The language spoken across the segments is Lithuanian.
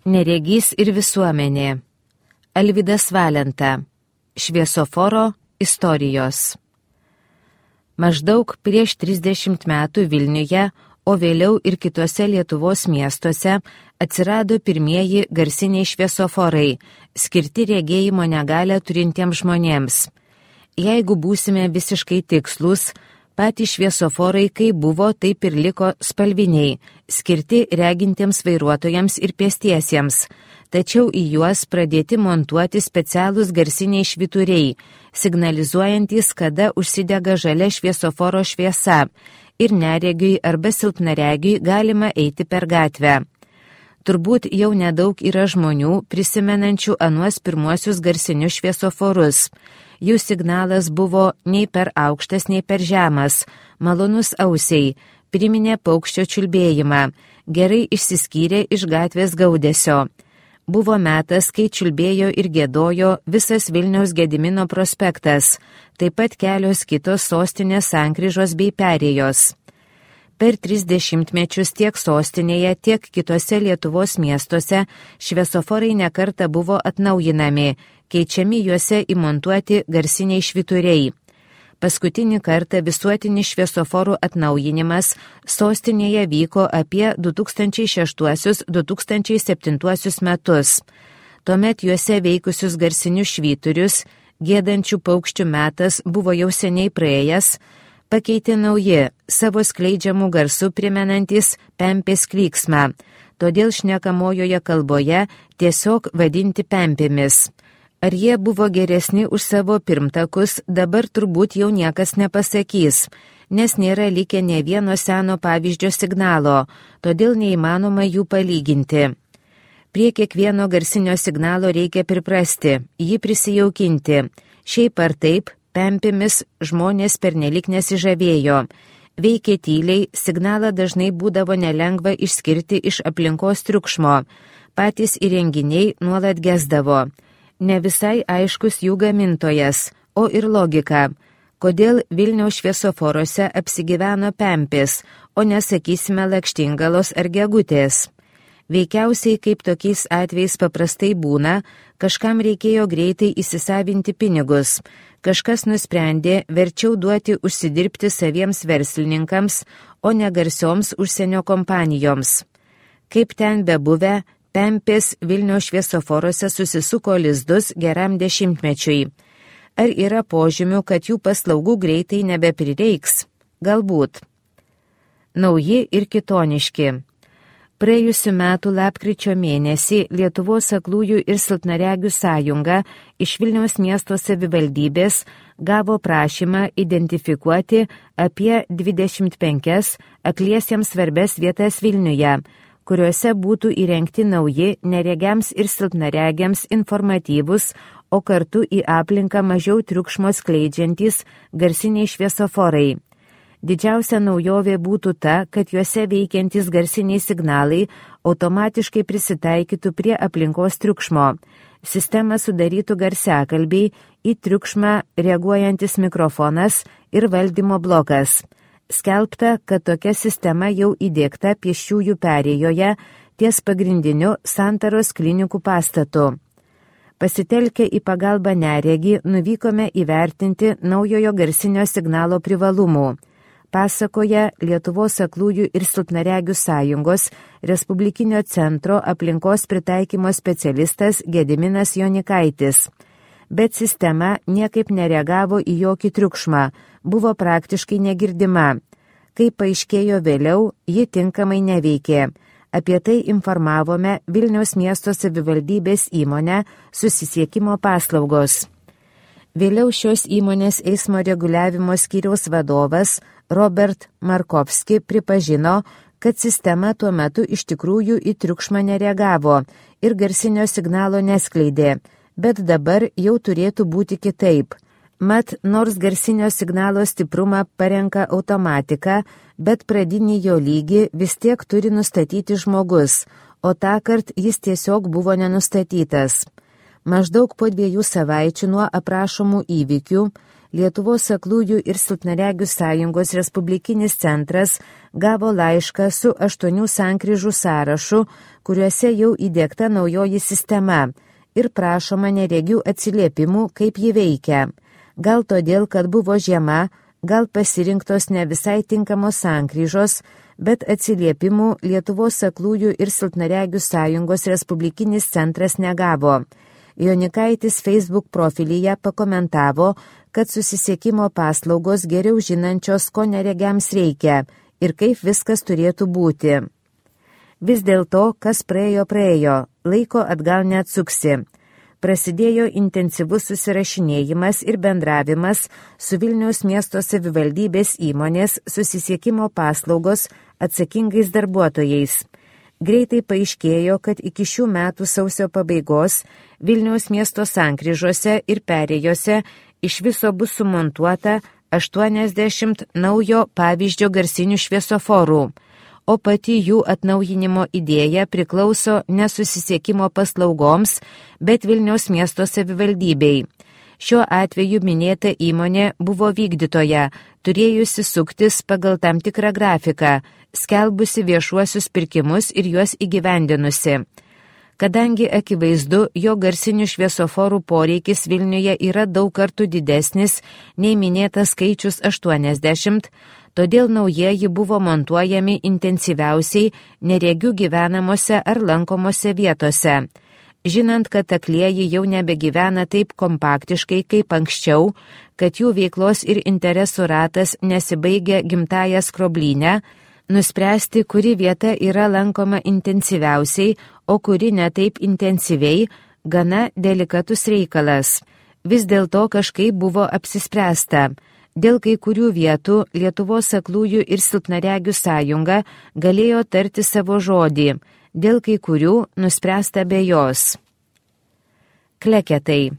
Neregys ir visuomenė. Alvydas Valenta. Šviesoforo istorijos. Maždaug prieš 30 metų Vilniuje, o vėliau ir kitose Lietuvos miestuose atsirado pirmieji garsiniai šviesoforai, skirti regėjimo negalią turintiems žmonėms. Jeigu būsime visiškai tikslus, patys šviesoforai kaip buvo, taip ir liko spalviniai, skirti regintiems vairuotojams ir pėstiesiems, tačiau į juos pradėti montuoti specialūs garsiniai švyturiai, signalizuojantys, kada užsidega žalia šviesoforo šviesa ir neregiui arba silpnaregiui galima eiti per gatvę. Turbūt jau nedaug yra žmonių prisimenančių anuos pirmuosius garsinius šviesoforus. Jų signalas buvo nei per aukštas, nei per žemas, malonus ausiai, priminė paukščio čiulbėjimą, gerai išsiskyrė iš gatvės gaudesio. Buvo metas, kai čiulbėjo ir gėdojo visas Vilniaus Gedimino prospektas, taip pat kelios kitos sostinės sankryžos bei perėjos. Per 30 mečius tiek sostinėje, tiek kitose Lietuvos miestuose šviesoforai nekartą buvo atnaujinami, keičiami juose įmontuoti garsiniai švyturiai. Paskutinį kartą visuotinis šviesoforų atnaujinimas sostinėje vyko apie 2006-2007 metus. Tuomet juose veikusius garsinius švyturius, gėdančių paukščių metas buvo jau seniai praėjęs, pakeitė nauji, savo skleidžiamų garsų primenantis pempės klyksmą, todėl šnekamojoje kalboje tiesiog vadinti pempėmis. Ar jie buvo geresni už savo pirmtakus, dabar turbūt jau niekas nepasakys, nes nėra likę nė vieno seno pavyzdžio signalo, todėl neįmanoma jų palyginti. Prie kiekvieno garsinio signalo reikia priprasti, jį prisijaukinti. Šiaip ar taip, pempėmis žmonės pernelik nesižavėjo. Veikė tyliai, signalą dažnai būdavo nelengva išskirti iš aplinkos triukšmo. Patys įrenginiai nuolat gesdavo. Ne visai aiškus jų gamintojas, o ir logika. Kodėl Vilniaus šviesoforuose apsigyveno pempės, o nesakysime lakštingalos ar gegutės? Veikiausiai, kaip tokiais atvejais paprastai būna, kažkam reikėjo greitai įsisavinti pinigus. Kažkas nusprendė verčiau duoti užsidirbti saviems verslininkams, o ne garsioms užsienio kompanijoms. Kaip ten bebuvę, pempės Vilniaus šviesoforuose susisuko lizdus geram 10-mečiui. Ar yra požymių, kad jų paslaugų greitai nebeprireiks? Galbūt. Nauji ir kitoniški. Praėjusiu metu lapkričio mėnesį Lietuvos aklųjų ir silpnaregių sąjunga iš Vilniaus miesto savivaldybės gavo prašymą identifikuoti apie 25 akliesiems svarbes vietas Vilniuje, kuriuose būtų įrengti nauji neregiams ir silpnaregiams informatyvus, o kartu į aplinką mažiau triukšmo skleidžiantys garsiniai šviesoforai. Didžiausia naujovė būtų ta, kad juose veikiantys garsiniai signalai automatiškai prisitaikytų prie aplinkos triukšmo. Sistemą sudarytų garsiakalbiai, į triukšmą reaguojantis mikrofonas ir valdymo blokas. Skelbta, kad tokia sistema jau įdiegta pėsčiųjų perėjoje ties pagrindiniu Santaros klinikų pastatu. Pasitelkę į pagalbą neregį, nuvykome įvertinti naujojo garsinio signalo privalumų. Pasakoja Lietuvos aklųjų ir silpnaregių sąjungos Respublikinio centro aplinkos pritaikymo specialistas Gediminas Jonikaitis. Bet sistema niekaip nereagavo į jokį triukšmą, buvo praktiškai negirdima. Kaip paaiškėjo vėliau, ji tinkamai neveikė. Apie tai informavome Vilniaus miesto savivaldybės įmonę Susisiekimo paslaugos. Vėliau šios įmonės eismo reguliavimo skyriaus vadovas Robert Markovski pripažino, kad sistema tuo metu iš tikrųjų į triukšmą nereagavo ir garsinio signalo neskleidė, bet dabar jau turėtų būti kitaip. Mat, nors garsinio signalo stiprumą parenka automatika, bet pradinį jo lygį vis tiek turi nustatyti žmogus, o tąkart jis tiesiog buvo nenustatytas. Maždaug po 2 savaičių nuo aprašomų įvykių Lietuvos aklųjų ir silpnaregių sąjungos Respublikinis centras gavo laišką su 8 sankryžų sąrašu, kuriuose jau įdiegta naujoji sistema ir prašoma neregių atsiliepimų, kaip ji veikia. Gal todėl, kad buvo žiema, gal pasirinktos ne visai tinkamos sankryžos, bet atsiliepimų Lietuvos aklųjų ir silpnaregių sąjungos Respublikinis centras negavo. Jonikaitis Facebook profilyje pakomentavo, kad susisiekimo paslaugos geriau žinančios, ko neregiams reikia ir kaip viskas turėtų būti. Vis dėlto, kas praėjo, laiko atgal neatsuksi. Prasidėjo intensyvus susirašinėjimas ir bendravimas su Vilniaus miesto savivaldybės įmonės susisiekimo paslaugos atsakingais darbuotojais. Greitai paaiškėjo, kad iki šių metų sausio pabaigos Vilniaus miesto sankryžose ir perėjose iš viso bus sumontuota 80 naujo pavyzdžio garsinių šviesoforų, o pati jų atnaujinimo idėja priklauso ne susisiekimo paslaugoms, bet Vilniaus miesto savivaldybei. Šiuo atveju minėta įmonė buvo vykdytoja, turėjusi suktis pagal tam tikrą grafiką, skelbusi viešuosius pirkimus ir juos įgyvendinusi. Kadangi akivaizdu, jo garsinių šviesoforų poreikis Vilniuje yra daug kartų didesnis nei minėtas skaičius 80, todėl naujieji buvo montuojami intensyviausiai neregių gyvenamose ar lankomose vietose. Žinant, kad aklieji jau nebegyvena taip kompaktiškai kaip anksčiau, kad jų veiklos ir interesų ratas nesibaigia gimtąją skroblinę, nuspręsti, kuri vieta yra lankoma intensyviausiai, o kuri ne taip intensyviai, gana delikatus reikalas. Vis dėlto kažkaip buvo apsispręsta. Dėl kai kurių vietų Lietuvos aklųjų ir silpnaregių sąjunga galėjo tarti savo žodį, dėl kai kurių nuspręsta be jos. Kleketai.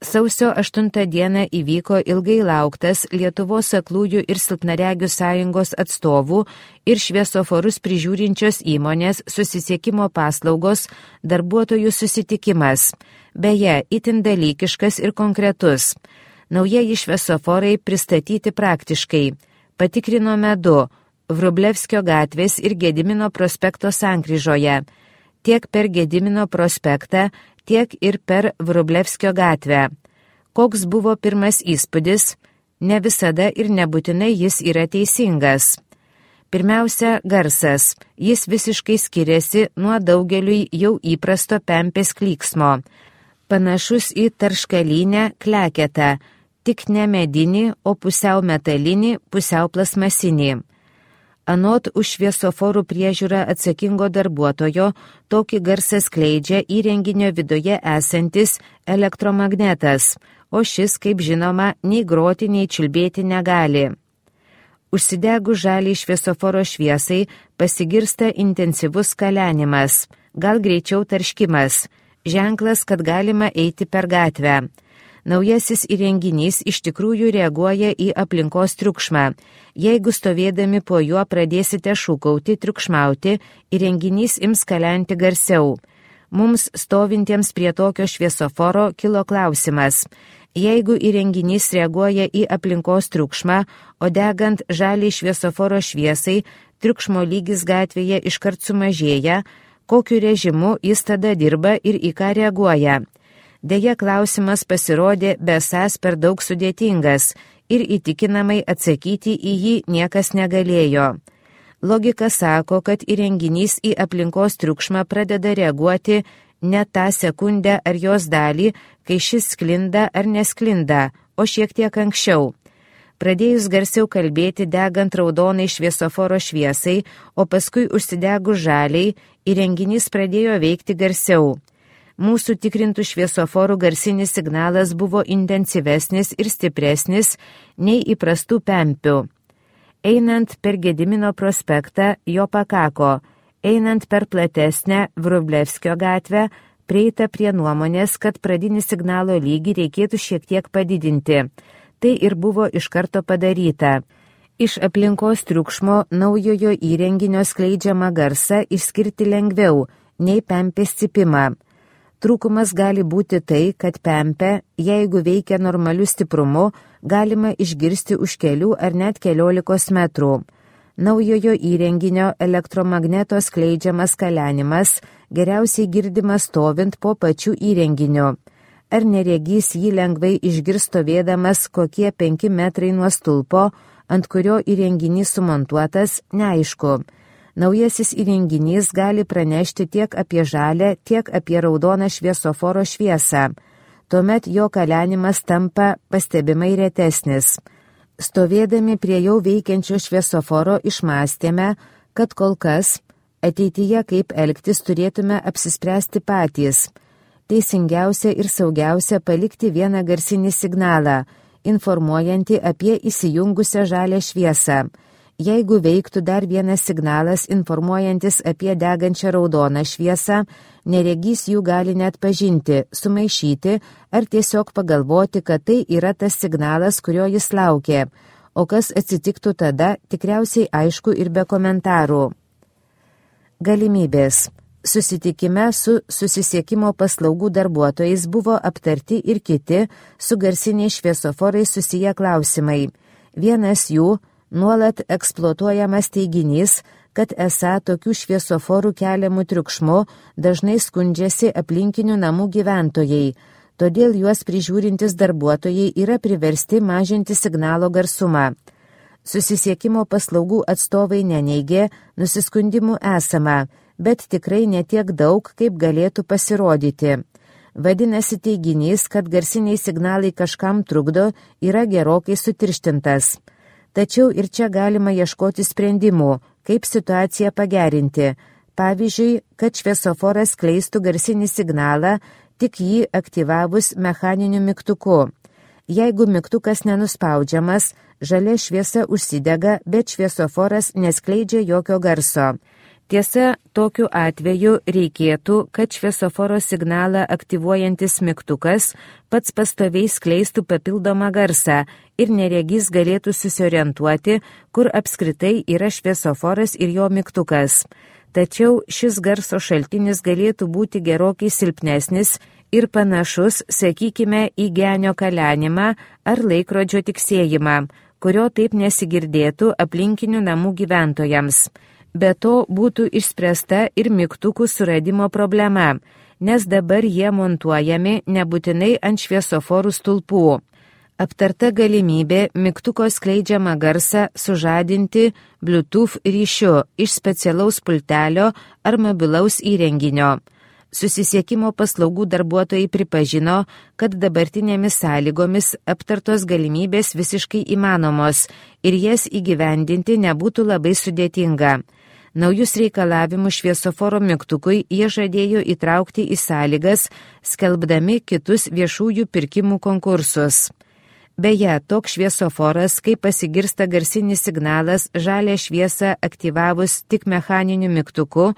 Sausio 8 dieną įvyko ilgai lauktas Lietuvos aklųjų ir silpnaregių sąjungos atstovų ir šviesoforus prižiūrinčios įmonės susisiekimo paslaugos darbuotojų susitikimas. Beje, itin dalykiškas ir konkretus. Naujieji šviesoforai pristatyti praktiškai. Patikrinome 2 Vrublevskio gatvės ir Gedimino prospekto sankryžoje, tiek per Gedimino prospektą, tiek ir per Vrublevskio gatvę. Koks buvo pirmas įspūdis? Ne visada ir nebūtinai jis yra teisingas. Pirmiausia, garsas. Jis visiškai skiriasi nuo daugeliui jau įprasto pempės klyksmo. Panašus į tarškalinę kleketą, tik ne medinį, o pusiau metalinį, pusiau plasmasinį. Anot už šviesoforų priežiūrą atsakingo darbuotojo, tokį garsą skleidžia įrenginio viduje esantis elektromagnetas, o šis, kaip žinoma, nei groti, nei čiulbėti negali. Užsidegus žaliai šviesoforo šviesai pasigirsta intensyvus kalenimas, gal greičiau tarškimas, ženklas, kad galima eiti per gatvę. Naujasis įrenginys iš tikrųjų reaguoja į aplinkos triukšmą. Jeigu stovėdami po juo pradėsite šūkauti, triukšmauti, įrenginys ims kalenti garsiau. Mums stovintiems prie tokio šviesoforo kilo klausimas. Jeigu įrenginys reaguoja į aplinkos triukšmą, o degant žaliai šviesoforo šviesai, triukšmo lygis gatvėje iškart sumažėja, kokiu režimu jis tada dirba ir į ką reaguoja. Deja, klausimas pasirodė besąs per daug sudėtingas ir įtikinamai atsakyti į jį niekas negalėjo. Logika sako, kad įrenginys į aplinkos triukšmą pradeda reaguoti ne tą sekundę ar jos dalį, kai šis sklinda ar nesklinda, o šiek tiek anksčiau. Pradėjus garsiau kalbėti degant raudonai šviesoforo šviesai, o paskui užsidegus žaliai, įrenginys pradėjo veikti garsiau. Mūsų tikrintų šviesoforų garsinis signalas buvo intensyvesnis ir stipresnis nei įprastų pempių. Einant per Gedimino prospektą jo pakako, einant per platesnę Vrublevskio gatvę, prieita prie nuomonės, kad pradinį signalo lygį reikėtų šiek tiek padidinti. Tai ir buvo iš karto padaryta. Iš aplinkos triukšmo naujojo įrenginio skleidžiamą garsą išskirti lengviau nei pempės cypimą. Trūkumas gali būti tai, kad pempė, jeigu veikia normaliu stiprumu, galima išgirsti už kelių ar net 15 metrų. Naujojo įrenginio elektromagneto skleidžiamas kalenimas geriausiai girdimas stovint po pačiu įrenginiu. Ar neregys jį lengvai išgirs stovėdamas kokie 5 metrai nuo stulpo, ant kurio įrenginys sumontuotas, neaišku. Naujasis įrenginys gali pranešti tiek apie žalią, tiek apie raudoną šviesoforo šviesą. Tuomet jo kalenimas tampa pastebimai retesnis. Stovėdami prie jau veikiančio šviesoforo išmąstėme, kad kol kas ateityje kaip elgtis turėtume apsispręsti patys. Teisingiausia ir saugiausia palikti vieną garsinį signalą, informuojantį apie įsijungusią žalią šviesą. Jeigu veiktų dar vienas signalas informuojantis apie degančią raudoną šviesą, neregys jų gali net pažinti, sumaišyti ar tiesiog pagalvoti, kad tai yra tas signalas, kurio jis laukė, o kas atsitiktų tada, tikriausiai aišku ir be komentarų. Galimybės. Susitikime su susisiekimo paslaugų darbuotojais buvo aptarti ir kiti su garsiniais šviesoforais susiję klausimai. Vienas jų – nuolat eksploatuojamas teiginys, kad esą tokių šviesoforų keliamų triukšmų dažnai skundžiasi aplinkinių namų gyventojai, todėl juos prižiūrintis darbuotojai yra priversti mažinti signalo garsumą. Susisiekimo paslaugų atstovai neneigė, nusiskundimų esama, bet tikrai netiek daug, kaip galėtų pasirodyti. Vadinasi, teiginys, kad garsiniai signalai kažkam trukdo, yra gerokai sutirštintas. Tačiau ir čia galima ieškoti sprendimų, kaip situaciją pagerinti. Pavyzdžiui, kad šviesoforas skleistų garsinį signalą, tik jį aktyvavus mechaniniu mygtuku. Jeigu mygtukas nenuspaudžiamas, žalia šviesa užsidega, bet šviesoforas neskleidžia jokio garso. Tiesa, tokiu atveju reikėtų, kad šviesoforo signalą aktyvuojantis mygtukas pats pastoviai skleistų papildomą garsą ir neregys galėtų susiorientuoti, kur apskritai yra šviesoforas ir jo mygtukas. Tačiau šis garso šaltinis galėtų būti gerokai silpnesnis ir panašus, sakykime, į genio kalenimą ar laikrodžio tiksėjimą, kurio taip nesigirdėtų aplinkinių namų gyventojams. Be to būtų išspręsta ir mygtukų suradimo problema, nes dabar jie montuojami nebūtinai ant šviesoforų stulpų. Aptarta galimybė mygtuko skleidžiamą garsą sužadinti Bluetooth ryšiu iš specialaus pultelio ar mobilaus įrenginio. Susisiekimo paslaugų darbuotojai pripažino, kad dabartinėmis sąlygomis aptartos galimybės visiškai įmanomos ir jas įgyvendinti nebūtų labai sudėtinga. Naujus reikalavimus šviesoforo mygtukui jie žadėjo įtraukti į sąlygas, skelbdami kitus viešųjų pirkimų konkursus. Beje, toks šviesoforas, kai pasigirsta garsinis signalas žalią šviesą aktyvavus tik mechaniniu mygtuku,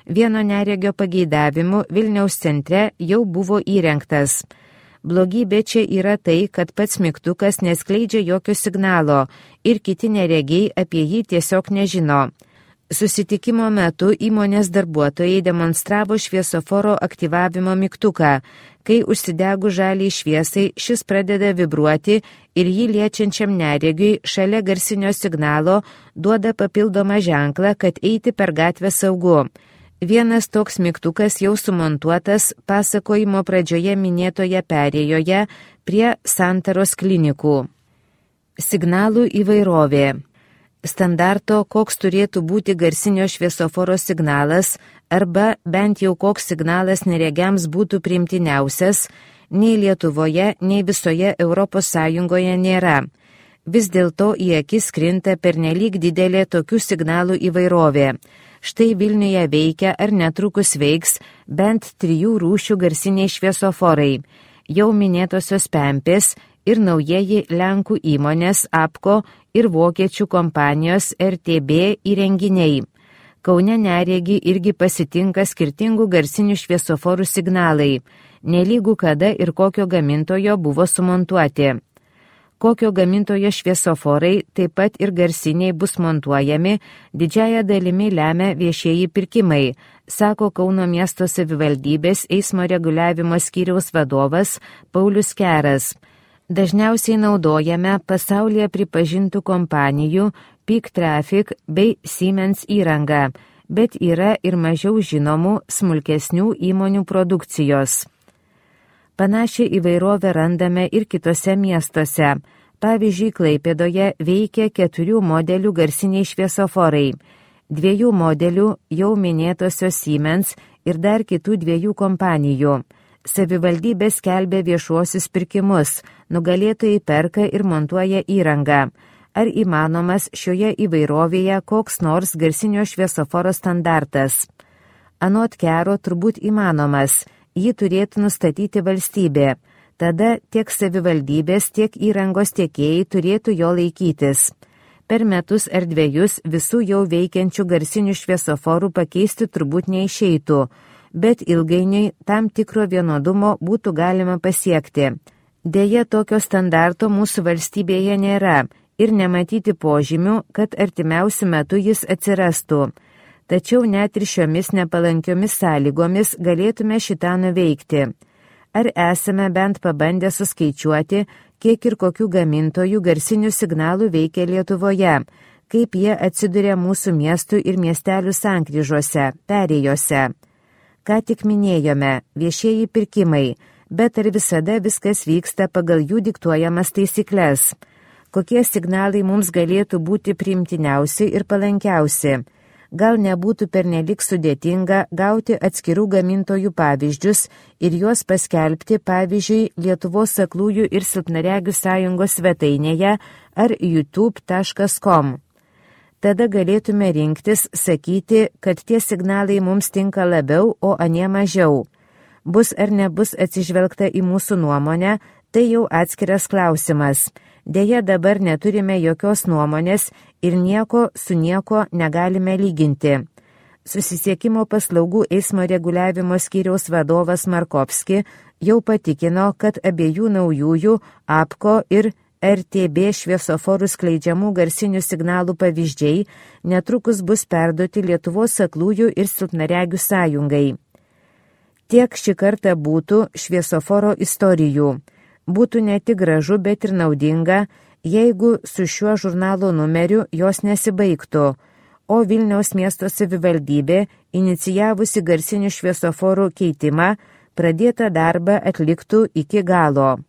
vieno neregio pageidavimu Vilniaus centre jau buvo įrengtas. Blogybė čia yra tai, kad pats mygtukas neskleidžia jokio signalo ir kiti neregiai apie jį tiesiog nežino. Susitikimo metu įmonės darbuotojai demonstravo šviesoforo aktyvavimo mygtuką. Kai užsidegus žaliai šviesai, šis pradeda vibruoti ir jį liečiančiam neregiui šalia garsinio signalo duoda papildomą ženklą, kad eiti per gatvę saugu. Vienas toks mygtukas jau sumontuotas pasakojimo pradžioje minėtoje perėjoje prie Santaros klinikų. Signalų įvairovė. Standarto, koks turėtų būti garsinio šviesoforo signalas, arba bent jau koks signalas neregiams būtų priimtiniausias, nei Lietuvoje, nei visoje Europos Sąjungoje nėra. Vis dėlto į akis krinta pernelyg didelė tokių signalų įvairovė. Štai Vilniuje veikia ar netrukus veiks bent 3 rūšių garsiniai šviesoforai. Jau minėtosios Pempės ir naujieji Lenkų įmonės APCO ir vokiečių kompanijos RTB įrenginiai. Kaune neregi irgi pasitinka skirtingų garsinių šviesoforų signalai, nelygų kada ir kokio gamintojo buvo sumontuoti. Kokio gamintojo šviesoforai, taip pat ir garsiniai bus montuojami, didžiąją dalimi lemia viešieji pirkimai, sako Kauno miesto savivaldybės eismo reguliavimo skyriaus vadovas Paulius Keras. Dažniausiai naudojame pasaulyje pripažintų kompanijų Peak Traffic bei Siemens įrangą, bet yra ir mažiau žinomų smulkesnių įmonių produkcijos. Panašią įvairovę randame ir kitose miestuose. Pavyzdžiui, Klaipėdoje veikia 4 modelių garsiniai šviesoforai, 2 modelių jau minėtosios Siemens ir dar kitų 2 kompanijų. Savivaldybė skelbia viešuosius pirkimus, nugalėtojai perka ir montuoja įrangą. Ar įmanomas šioje įvairovėje koks nors garsinio šviesoforo standartas? Anot Kero turbūt įmanomas, jį turėtų nustatyti valstybė. Tada tiek savivaldybės, tiek įrangos tiekėjai turėtų jo laikytis. Per metus ar 2 visų jau veikiančių garsinių šviesoforų pakeisti turbūt neišeitų, bet ilgainiui tam tikro vienodumo būtų galima pasiekti. Deja, tokio standarto mūsų valstybėje nėra ir nematyti požymių, kad artimiausiu metu jis atsirastų. Tačiau net ir šiomis nepalankiomis sąlygomis galėtume šitą nuveikti. Ar esame bent pabandę suskaičiuoti, kiek ir kokių gamintojų garsinių signalų veikia Lietuvoje, kaip jie atsiduria mūsų miestų ir miestelių sankryžose, perėjose. Ką tik minėjome, viešieji pirkimai, bet ar visada viskas vyksta pagal jų diktuojamas taisyklės? Kokie signalai mums galėtų būti priimtiniausi ir palankiausi? Gal nebūtų pernelik sudėtinga gauti atskirų gamintojų pavyzdžius ir juos paskelbti, pavyzdžiui, Lietuvos aklųjų ir silpnaregių sąjungos svetainėje ar youtube.com. Tada galėtume rinktis, sakyti, kad tie signalai mums tinka labiau, o anie mažiau. Bus ar nebus atsižvelgta į mūsų nuomonę, tai jau atskiras klausimas. Deja, dabar neturime jokios nuomonės ir nieko su nieko negalime lyginti. Susisiekimo paslaugų eismo reguliavimo skyriaus vadovas Markovski jau patikino, kad abiejų naujųjų APCO ir RTB šviesoforų skleidžiamų garsinių signalų pavyzdžiai netrukus bus perduoti Lietuvos aklųjų ir silpnaregių sąjungai. Tiek šį kartą būtų šviesoforo istorijų. Būtų ne tik gražu, bet ir naudinga, jeigu su šiuo žurnalo numeriu jos nesibaigtų, o Vilniaus miesto savivaldybė, inicijavusi garsinių šviesoforų keitimą, pradėtą darbą atliktų iki galo.